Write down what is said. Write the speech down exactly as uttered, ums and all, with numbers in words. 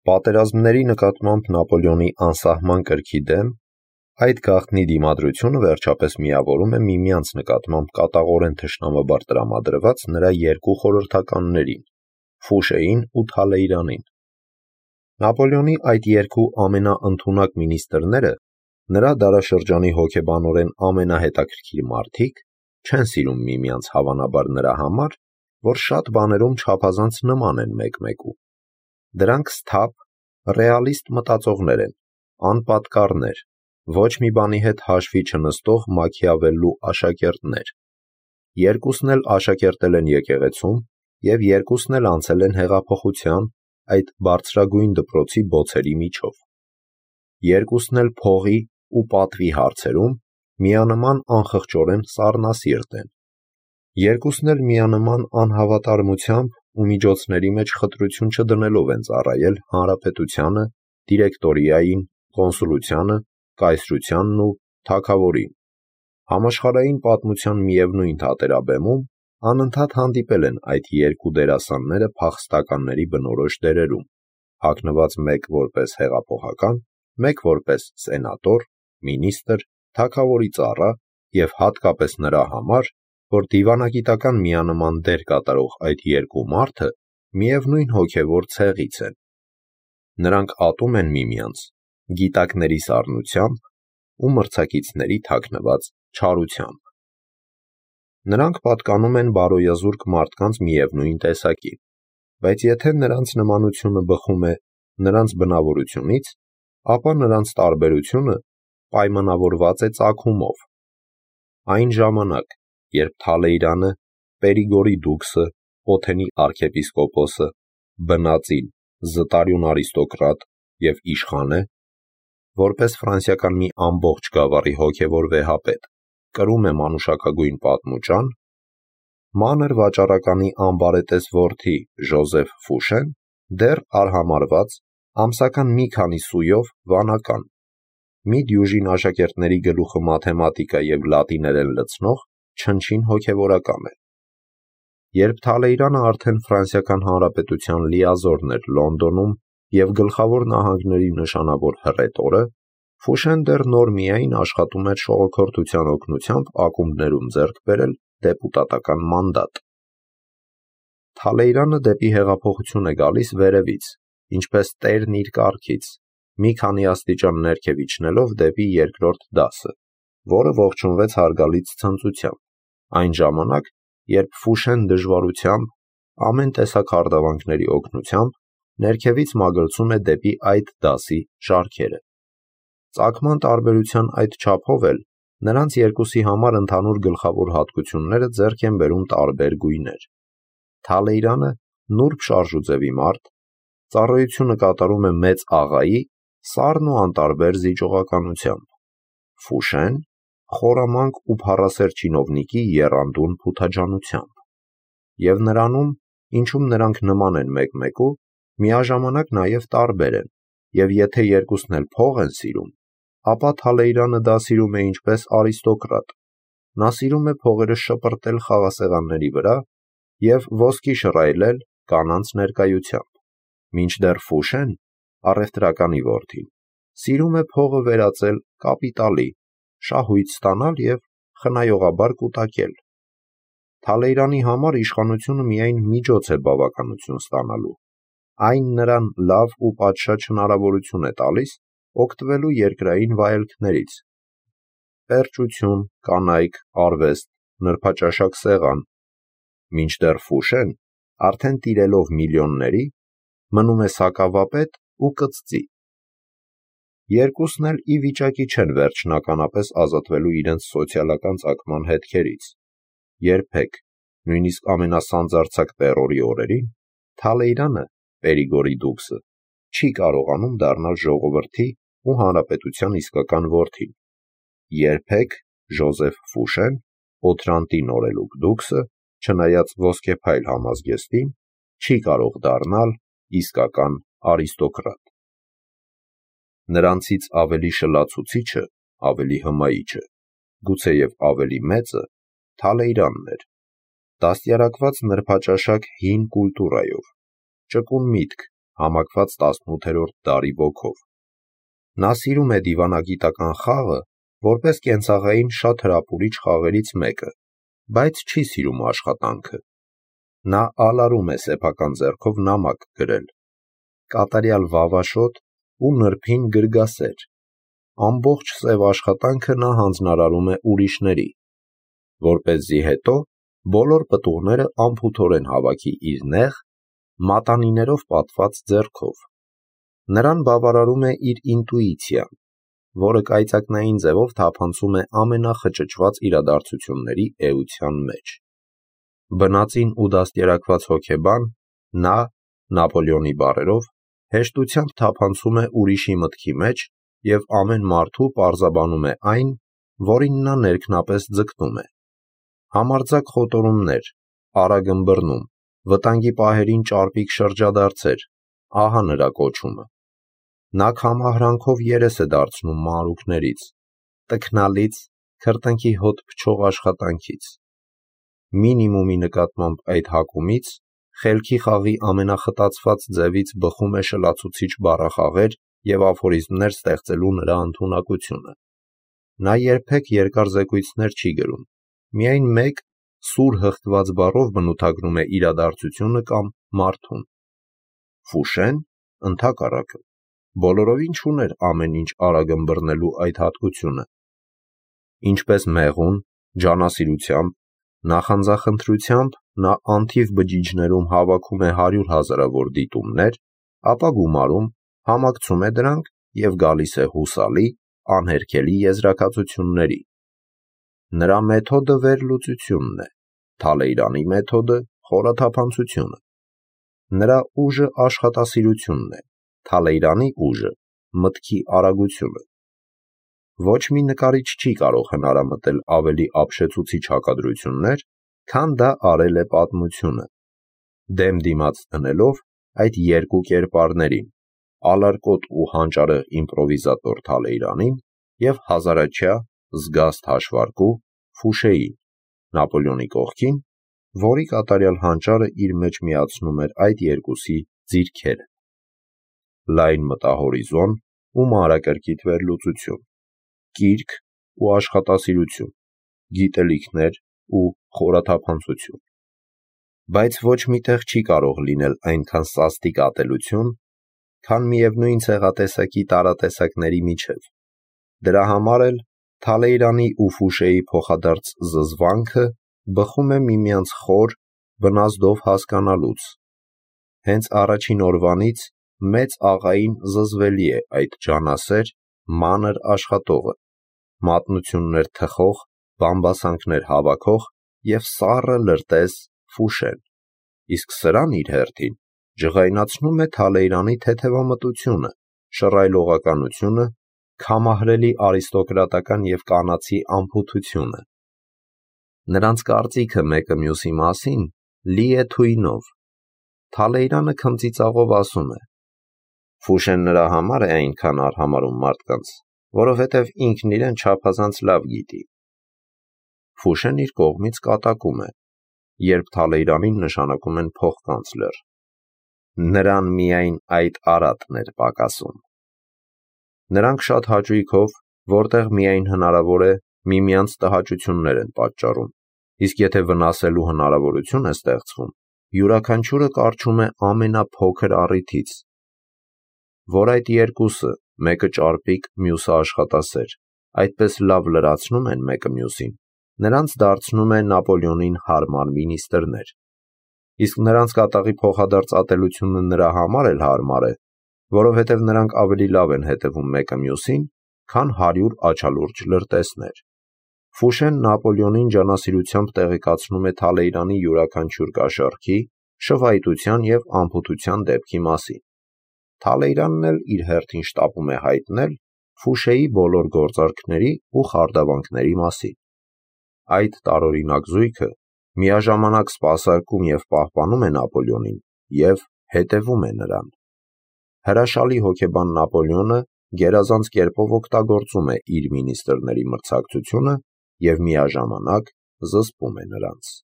Պատերազմների նկատմամբ Նապոլեոնի անսահման կրքի դեմ այդ գաղտնի դիմադրությունը վերջապես միավորում է միմյանց նկատմամբ կատաղորեն թշնամաբար տրամադրված նրա երկու խորհրդականներին՝ Ֆուշեին ու Թալեյրանին։ Նապոլեոնի այդ երկու ամենաընդունակ մինիստրները, նրա դարաշրջանի հոգեբանորեն ամենահետաքրքիր մարդիկ, չեն սիրում միմյանց հավանաբար նրա համար, որ շատ բաներում չափազանց նման են մեկ-մեկու։ Դրանք սթափ, ռեալիստ մտածողներ են, անպատկառներ, ոչ մի բանի հետ հաշվի չնստող Մաքիավելլու աշակերտներ։ Երկուսն էլ աշակերտել են եկեղեցում և երկուսն էլ անցել են հեղափոխության, այդ բարձրագույն դպրոցի բոցերի միջով։ Երկուսն էլ փողի ու պատվի հարցերում միանման անխղճորեն սառնասիրտ են։ Երկուսն էլ միանման անհավատարմությամբ ու միջոցների մեջ խտրություն չդնելով են ծառայել հանրապետությանը, դիրեկտորիային, կոնսուլությանը, կայսրությանն ու թագավորին։ Համաշխարհային պատմության միևնույն թատերաբեմում անընդհատ հանդիպել են այդ երկու դերասանները փախստականների բնորոշ դերերում, հագնված մեկ որպես հեղափոխական, մեկ որպես սենատոր, մինիստր, թագավորի ծառա և հատկապես նրա համար, որ դիվանագիտական միանման դեր կատարող այդ երկու մարդը միևնույն հոգևոր ցեղից են։ Նրանք ատում են միմյանց գիտակների սառնությամբ ու մրցակիցների թաքնված չարությամբ։ Նրանք պատկանում են բարոյազուրկ մարդկանց միևնույն տեսակի, բայց եթե նրանց նմանությունը բխում է նրանց բնավորությունից, ապա նրանց տարբերությունը պայմանավորված է ծագումով։ Այն ժամանակ, երբ Թալեյրանը, Պերիգորի դուքսը, Օթենի արքեպիսկոպոսը, բնածին, զտարյուն արիստոկրատ և իշխան է, որպես ֆրանսիական մի ամբողջ գավառի հոգևոր վեհապետ, կրում է մանուշակագույն պատմուճան, մանր վաճառականի անբարետես որդի Ժոզեֆ Ֆուշեն դեռ արհամարհված, ամսական մի քանի սույով վանական, մի դյուժին աշակերտների գլուխը մաթեմատիկա և լատիներեն լցնող չնչին հոգևորական է։ Երբ Թալեյրանը արդեն Ֆրանսիական Հանրապետության լիազորն էր Լոնդոնում և գլխավոր նահանգների նշանավոր հռետորը, Ֆուշեն դեռ նոր միայն աշխատում էր ժողովրդության օգնությամբ ակումբներում ձեռք բերել դեպուտատական մանդատ։ Թալեյրանը դեպի հեղափոխություն է գալիս վերևից, ինչպես տերն իր կառքից, մի քանի աստիճան ներքև իջնելով դեպի երկրորդ դասը, որը ողջունվեց հարգալից ցնծությամբ, այն ժամանակ, երբ Ֆուշեն դժվարությամբ, ամեն տեսակ հարդարանքների օգնությամբ ներքևից մագլցում է դեպի այդ դասի շարքերը։ Ծագման տարբերության այդ չափով էլ նրանց երկուսի համար ընդհանուր գլխավոր հատկությունները ձեռք են բերում տարբեր գույներ։ Թալեյրանը նուրբ շարժուձևի մարդ, ծառայությունը կատարում է մեծ աղայի սառն ու անտարբեր զիջողականությամբ։ Ֆուշեն խորամանկ ու փառասեր չինովնիկի եռանդուն փութաջանությամբ։ Եվ նրանում, ինչում նրանք նման են մեկ-մեկու, միաժամանակ նաև տարբեր են, և եթե երկուսն էլ փող են սիրում, ապա Թալեյրանը դա սիրում է ինչպես արիստոկրատ։ Նա սիրում է փողերը շպրտել խաղասեղանների վրա և ոսկի շռայլել կանանց ներկայությամբ, մինչդեռ Ֆուշեն, առևտրականի որդին, սիրում է փողը վերածել կապիտալի, շահույթ ստանալ և խնայողաբար կուտակել։ Թալեյրանի համար իշխանությունը միայն միջոց է բավականություն ստանալու, այն նրան լավ ու պատշաճ հնարավորություն է տալիս օգտվելու երկրային վայելքներից՝ պերճություն, կանայք, արվեստ, նրբաճաշակ սեղան, մինչդեռ Ֆուշեն, արդեն տիրելով միլիոնների, մնում է սակավապետ ու կծծի։ Երկուսն էլ ի վիճակի չեն վերջնականապես ազատվելու իրենց սոցիալական ծագման հետքերից։ Երբեք, նույնիսկ ամենասանձարձակ տերորի օրերին, Թալեյրանը, Պերիգորի դուքսը, չի կարողանում դառնալ ժողովրդի ու հանրապետության իսկական որդին։ Երբեք Ժոզեֆ Ֆուշեն, Օթրանտի նորելուկ դուքսը, չնայած ոսկեփայլ համազգեստին, չի կարող դառնալ իսկական արիստոկրատ։ Նրանցից ավելի շլացուցիչը, ավելի հմայիչը, գուցեև ավելի մեծը Թալեյրանն էր, դաստիարակված նրբաճաշակ հին կուլտուրայով, ճկուն միտք, համակված տասնութերորդ դարի ոգով։ Նա սիրում է դիվանագիտական խաղը, որպես կենցաղային շատ հրապուրիչ խաղերից մեկը, բայց չի սիրում աշխատանքը։ Նա ալարում է սեփական ձեռքով նամակ գրել, կատարյալ վավաշոտ ու նրբին գրգասեր։ Ամբողջ սև աշխատանքը նա հանձնարարում է ուրիշների, որպեսզի հետո բոլոր պտուղները անփութորեն հավաքի իր նեղ, մատանիներով պատված ձեռքով։ Նրան բավարարում է իր ինտուիցիան, որը կայծակնային ձևով թափանցում է ամենախճճված իրադարձությունների էության մեջ։ Բնածին ու դաստիարակված հոգեբան, նա, Նապոլեոնի բառերով, հեշտությամբ թափանցում է ուրիշի մտքի մեջ և ամեն մարդու պարզաբանում է այն, որին նա ներքնապես ձգտում է։ Համարձակ խոտորումներ, արագ ըմբռնում, վտանգի պահերին ճարպիկ շրջադարձեր, ահա նրա կոչումը։ Նա քամահրանքով երես է դարձնում մանրուքներից, տքնալից, քրտինքի հոտ փչող աշխատանքից։ Մինիմումի նկատմամբ այդ հակումից խելքի խաղի ամենախտացված ձևից բխում է շլացուցիչ բառախաղեր և աֆորիզմներ ստեղծելու նրա ընդունակությունը։ Նա երբեք երկար զեկույցներ չի գրում, միայն մեկ սուր հղկված բառով բնութագրում է իրադարձությունը կամ մարդուն։ Ֆուշեն, ընդհակառակը, բոլորովին չուներ ամեն ինչ արագ ըմբռնելու այդ հատկությունը։ Ինչպես մեղուն, ջանասիրությամբ, նախանձախնդրությամբ նա անթիվ բջիջներում հավաքում է հարյուր հազարավոր դիտումներ, ապա գումարում, համակցում է դրանք և գալիս է հուսալի, անհերքելի եզրակացությունների։ Նրա մեթոդը վերլուծությունն է, Թալեյրանի մեթոդը խորաթափանցությունը։ Նրա ուժը աշխատասիրությունն է, Թալեյրանի ուժը մտքի արագությունը։ Ոչ մի նկարիչ չի կարող հնարամտել ավելի ապշեցուցիչ հակադրություններ, քան դա արել է պատմությունը, դեմ դիմաց դնելով այդ երկու կերպարներին՝ ալարկոտ ու հանճարեղ իմպրովիզատոր Թալեյրանին և հազարաչյա, զգաստ հաշվարկու Ֆուշեին, Նապոլեոնի կողքին, որի կատարյալ հանճարը իր մեջ միացնում էր այդ երկուսի ձիրքերը։ Լայն մտահորիզոն ու մանրակրկիտ վերլուծություն, կիրք ու աշխատասիրություն, գիտելիքներ ու խորաթափանցություն։ Բայց ոչ մի տեղ չի կարող լինել այնքան սաստիկ ատելություն, քան միևնույն ցեղատեսակի տարատեսակների միջև։ Դրա համար էլ Թալեյրանի ու Ֆուշեի փոխադարձ զզվանքը բխում է միմյանց խոր, բնազդով հասկանալուց։ Հենց առաջին օրվանից մեծ աղային զզվելի է այդ ջանասեր, մանր աշխատողը, մատնություններ թխող, բամբասանքներ հավաքող և սառը լրտես Ֆուշեն, իսկ սրան իր հերթին ջղայնացնում է Թալեյրանի թեթևամտությունը, շռայլողականությունը, քամահրելի արիստոկրատական և կանացի անփութությունը։ Նրանց կարծիքը մեկը մյուսի մասին լի է թույնով։ Թալեյրանը քմծիծաղով ասում է. Ֆուշեն նրա համար է այնքան արհամարհում մարդկանց, որովհետև ինքն իրեն չափազանց լավ գիտի։ Ֆուշեն իր կողմից կատակում է, երբ Թալեյրանին նշանակում են փոխկանցլեր։ Նրան միայն այդ արատն էր պակասում։ Նրանք շատ հաճույքով, որտեղ միայն հնարավոր է, միմյանց տհաճություններ են պատճառում, իսկ եթե վնասելու հնարավորություն է ստեղծվում, յուրաքանչյուրը կառչում է ամենափոքր առիթից, որ այդ երկուսը, մեկը ճարպիկ, մյուսը աշխատասեր, այդպես լավ լրացնում են մեկը մյուսին, նրանց դարձնում է Նապոլեոնին հարմար մինիստրներ։ Իսկ նրանց կատաղի փոխադարձ ատելությունը նրա համար էլ հարմար է, որովհետև նրանք ավելի լավ են հետևում մեկը մյուսին, քան հարյուր աչալուրջ լրտեսներ։ Ֆուշեն Նապոլեոնին ջանասիրությամբ տեղեկացնում է Թալեյրանի յուրաքանչյուր կաշառքի, շվայտության և անփութության դեպքի մասին։ Թալեյրանն էլ իր հերթին շտապում է հայտնել Ֆուշեի բոլոր գործարքների ու խարդավանքների մասին։ Այդ տարօրինակ զույգը միաժամանակ սպասարկում և պահպանում է Նապոլեոնին և հետևում է նրան։ Հրաշալի հոգեբան Նապոլեոնը գերազանց կերպով օգտագործում է իր մինիստրների մրցակցությունը և միաժամանակ զսպում է նրանց։